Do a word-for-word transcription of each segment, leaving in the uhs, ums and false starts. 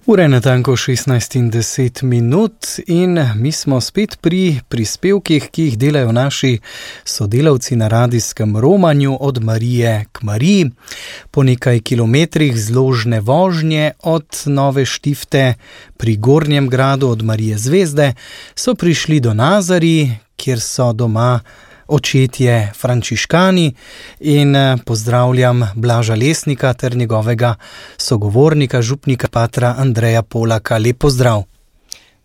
Ura je natanko šestnajst in deset minut in mi smo spet pri prispevkih, ki jih delajo naši sodelavci na radijskem romanju od Marije k Mariji. Po nekaj kilometrih zložne vožnje od Nove Štifte pri Gornjem Gradu od Marije Zvezde so prišli do Nazarij, kjer so doma očetje frančiškani, in pozdravljam Blaža Lesnika ter njegovega sogovornika, župnika patra Andreja Polaka. Lep pozdrav.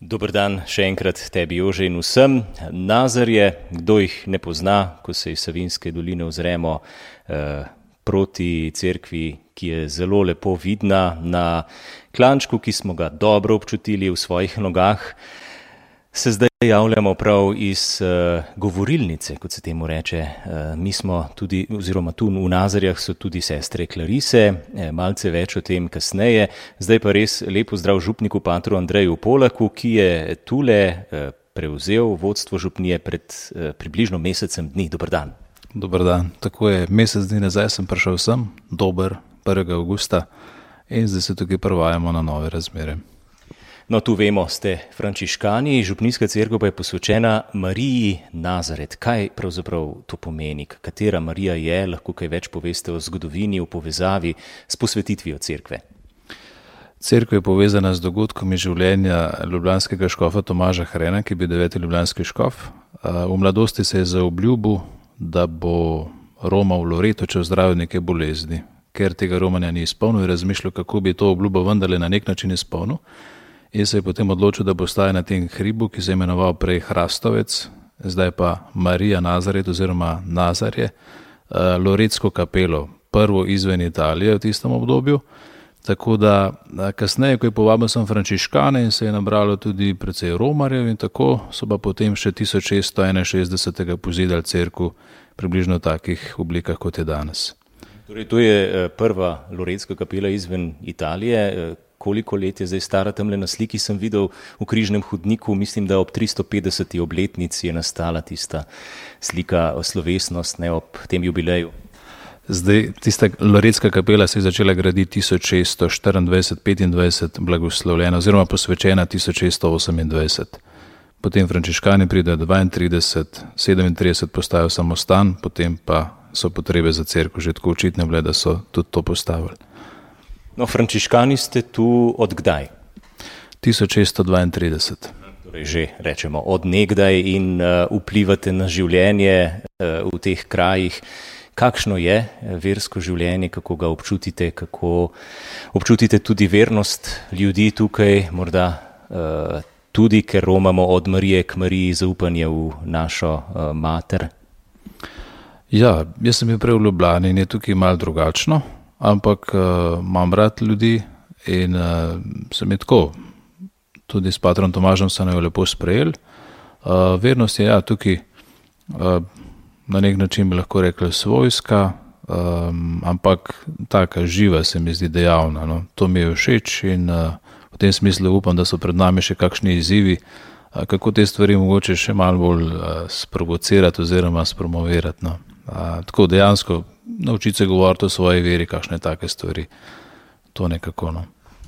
Dober dan še enkrat tebi, Jože, in vsem. Nazarje, kdo jih ne pozna, ko se iz Savinjske doline ozremo eh, proti cerkvi, ki je zelo lepo vidna na klančku, ki smo ga dobro občutili v svojih nogah, se zdaj javljamo prav iz uh, govorilnice, kot se temu reče. Uh, mi smo tudi, oziroma tu v Nazarjah so tudi sestre Klarise, eh, malce več o tem kasneje. Zdaj pa res lep pozdrav župniku patru Andreju Polaku, ki je tule uh, prevzel vodstvo župnije pred uh, približno mesecem dni. Dober dan. Dober dan. Tako je, mesec dni nazaj sem prišel sem, dober, prvega avgusta, in zdaj se tukaj prvajamo na nove razmere. No, tu vemo, ste frančiškani, župnijska cerkev pa je posvečena Mariji Nazaret. Kaj pravzaprav to pomeni? Katera Marija je? Lahko kaj več poveste o zgodovini, o povezavi s posvetitvijo cerkve? Cerkev je povezana z dogodkom iz življenja ljubljanskega škofa Tomaža Hrena, ki je bil deveti ljubljanski škof. V mladosti se je zaobljubil, da bo romal Loreto, če zdravil neke bolezni. Ker tega romanja ni izpolnil, je razmišljal, kako bi to obljubo vendarle na nek način izpolnil. In se je potem odločil, da bo stajal na tem hribu, ki se je imenoval prej Hrastovec, zdaj pa Marija Nazaret oziroma Nazarje, Loretsko kapelo, prvo izven Italije v tistem obdobju. Tako da kasneje, ko je povabil sem frančiškane in se je nabralo tudi precej romarjev, in tako so pa potem še tisoč šeststo enainšestdesetega pozidali cerkev približno v takih oblikah, kot je danes. Torej, to je prva Loretska kapela izven Italije. Koliko let je zdaj stara? Tamle na sliki sem videl v križnem hodniku, mislim, da ob tristo petdeseti obletnici je nastala tista slika, slovesnost, ne, ob tem jubileju. Zdaj, tista Loretska kapela se je začela graditi tisoč šeststo štiriindvajset petindvajset, blagoslovljena oziroma posvečena tisoč šeststo osemindvajset. Potem frančiškani pridejo dvaintrideset, sedemintrideset postajajo samostan, potem pa so potrebe za cerkev že tako očitne bile, da so tudi to postavili. No, frančiškani ste tu od kdaj? tisoč šeststo dvaintrideset. Torej že rečemo od nekdaj in uh, vplivate na življenje uh, v teh krajih. Kakšno je versko življenje, kako ga občutite, kako občutite tudi vernost ljudi tukaj, morda uh, tudi, ker romamo od Marije k Mariji, zaupanje v našo uh, mater? Ja, jaz sem bil prej v Ljubljani in je tukaj malo drugačno. Ampak uh, imam rad ljudi in uh, sem je tako, tudi s patrom Tomažem so jo lepo sprejeli. Uh, vernost je ja, tukaj uh, na nek način bi lahko rekli svojska, um, ampak taka živa se mi zdi dejavna. No. To mi je všeč in uh, v tem smislu upam, da so pred nami še kakšni izzivi, uh, kako te stvari mogoče še malo bolj uh, sprovocirati oziroma spromovirati. No. Uh, tako dejansko naučiti se govoriti o svoji veri, kakšne take stvari. To nekako, no.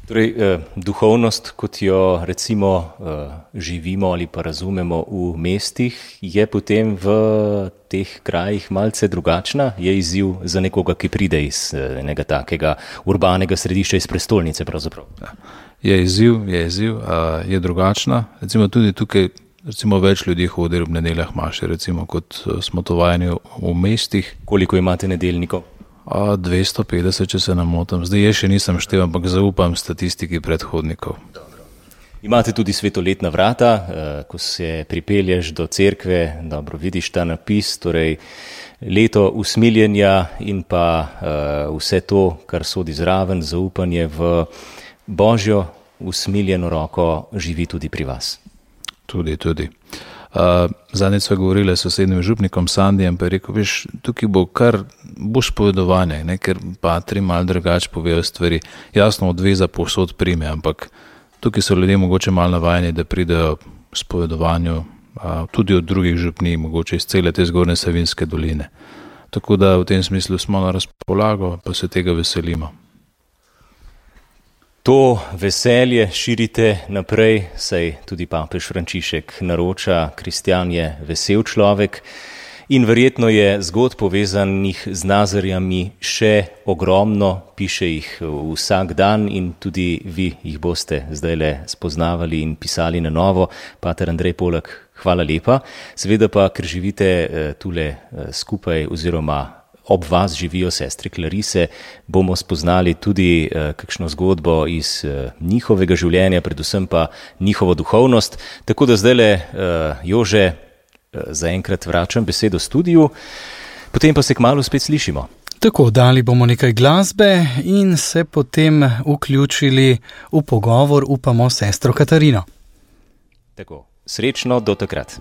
Torej, eh, duhovnost, kot jo recimo eh, živimo ali pa razumemo v mestih, je potem v teh krajih malce drugačna? Je izziv za nekoga, ki pride iz eh, enega takega urbanega središča, iz prestolnice pravzaprav? Ja. Je izziv, je izziv, uh, je drugačna. Recimo tudi tukaj Recimo več ljudi hodi ob nedeljah maše, recimo kot smo to vajeni v mestih. Koliko imate nedeljnikov? A, dvesto petdeset, če se ne motim. Zdaj je še nisem štel, ampak zaupam statistiki predhodnikov. Dobro. Imate tudi svetoletna vrata, ko se pripelješ do cerkve, dobro vidiš ta napis, torej leto usmiljenja in pa vse to, kar sodi zraven, zaupanje v Božjo usmiljeno roko živi tudi pri vas. Tudi, tudi. Uh, Zadnjič sva govorila s sosednjim župnikom Sandijem, pa je rekel, veš, tukaj bo kar bo spovedovanje, ne, ker patri malo drugače povejo stvari. Jasno, odveza povsod prime, ampak tukaj so ljudje mogoče malo navajeni, da pridejo spovedovanju, uh, tudi od drugih župnij, mogoče iz cele te zgornje Savinjske doline. Tako da v tem smislu smo na razpolago, pa se tega veselimo. to veselje širite naprej, saj tudi papež Frančišek naroča, kristjan je vesel človek. In verjetno je zgodb povezanih z Nazarjami še ogromno, piše jih vsak dan in tudi vi jih boste zdajle spoznavali in pisali na novo. Pater Andrej Polak, hvala lepa. Seveda pa, ker živite tule skupaj oziroma ob vas živijo sestre Klarise, bomo spoznali tudi kakšno zgodbo iz njihovega življenja, predvsem pa njihovo duhovnost. Tako da zdajle, Jože, zaenkrat vračam besedo studiu, potem pa se kmalu spet slišimo. Tako, dali bomo nekaj glasbe in se potem vključili v pogovor, upamo, sestro Katarino. Tako, srečno do takrat.